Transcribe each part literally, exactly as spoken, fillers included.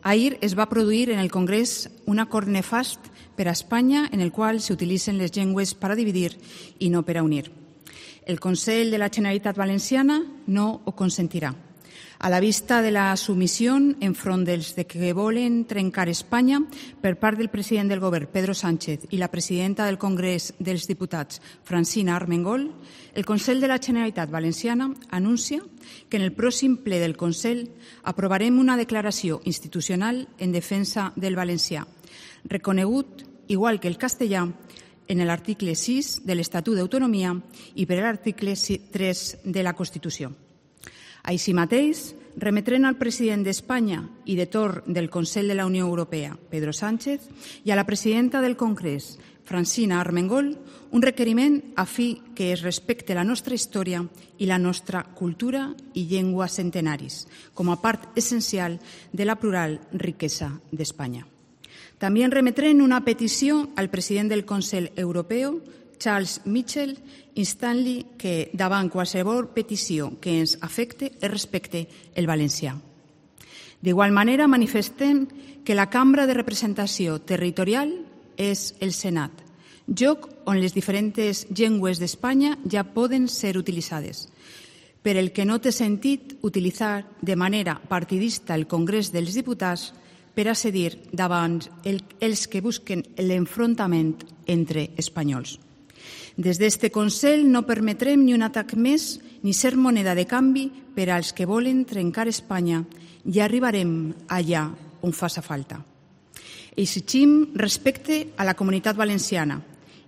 Ahir es va produir en el Congrés un acord nefast per a Espanya en el qual s'utilitzen les llengües per a dividir i no per a unir. El Consell de la Generalitat Valenciana no ho consentirà. A la vista de la submissió enfront dels que volen trencar Espanya per part del president del govern, Pedro Sánchez, i la presidenta del Congrés dels Diputats, Francina Armengol, el Consell de la Generalitat Valenciana anuncia que en el pròxim ple del Consell aprovarem una declaració institucional en defensa del valencià, reconegut, igual que el castellà, en l'article sis de l'Estatut d'Autonomia i per l'article tres de la Constitució. Així mateix, remetrem al president d'Espanya i de torn del Consell de la Unió Europea, Pedro Sánchez, i a la presidenta del Congrés, Francina Armengol, un requeriment a fi que es respecte la nostra història i la nostra cultura i llengua centenaris, com a part essencial de la plural riquesa d'Espanya. També remetrem una petició al president del Consell Europeu, Charles Michel, instant-li que davant qualsevol petició que ens afecte es respecte el valencià. D'igual manera, manifestem que la cambra de representació territorial és el Senat, lloc on les diferents llengües d'Espanya ja poden ser utilitzades, per el que no té sentit utilitzar de manera partidista el Congrés dels Diputats per a cedir davant els que busquen l'enfrontament entre espanyols. Des d'este Consell no permetrem ni un atac més ni ser moneda de canvi per als que volen trencar Espanya i arribarem allà on faça falta. Exigim respecte a la comunitat valenciana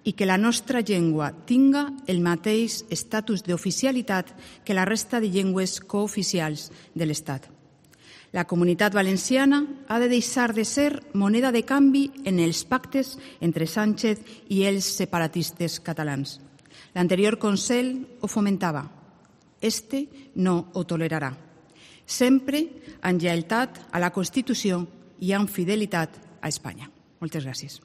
i que la nostra llengua tinga el mateix estatus d'oficialitat que la resta de llengües cooficials de l'Estat. La comunitat valenciana ha de deixar de ser moneda de canvi en els pactes entre Sánchez i els separatistes catalans. L'anterior Consell ho fomentava. Este no ho tolerarà. Sempre amb lleialtat a la Constitució i amb fidelitat a Espanya. Moltes gràcies.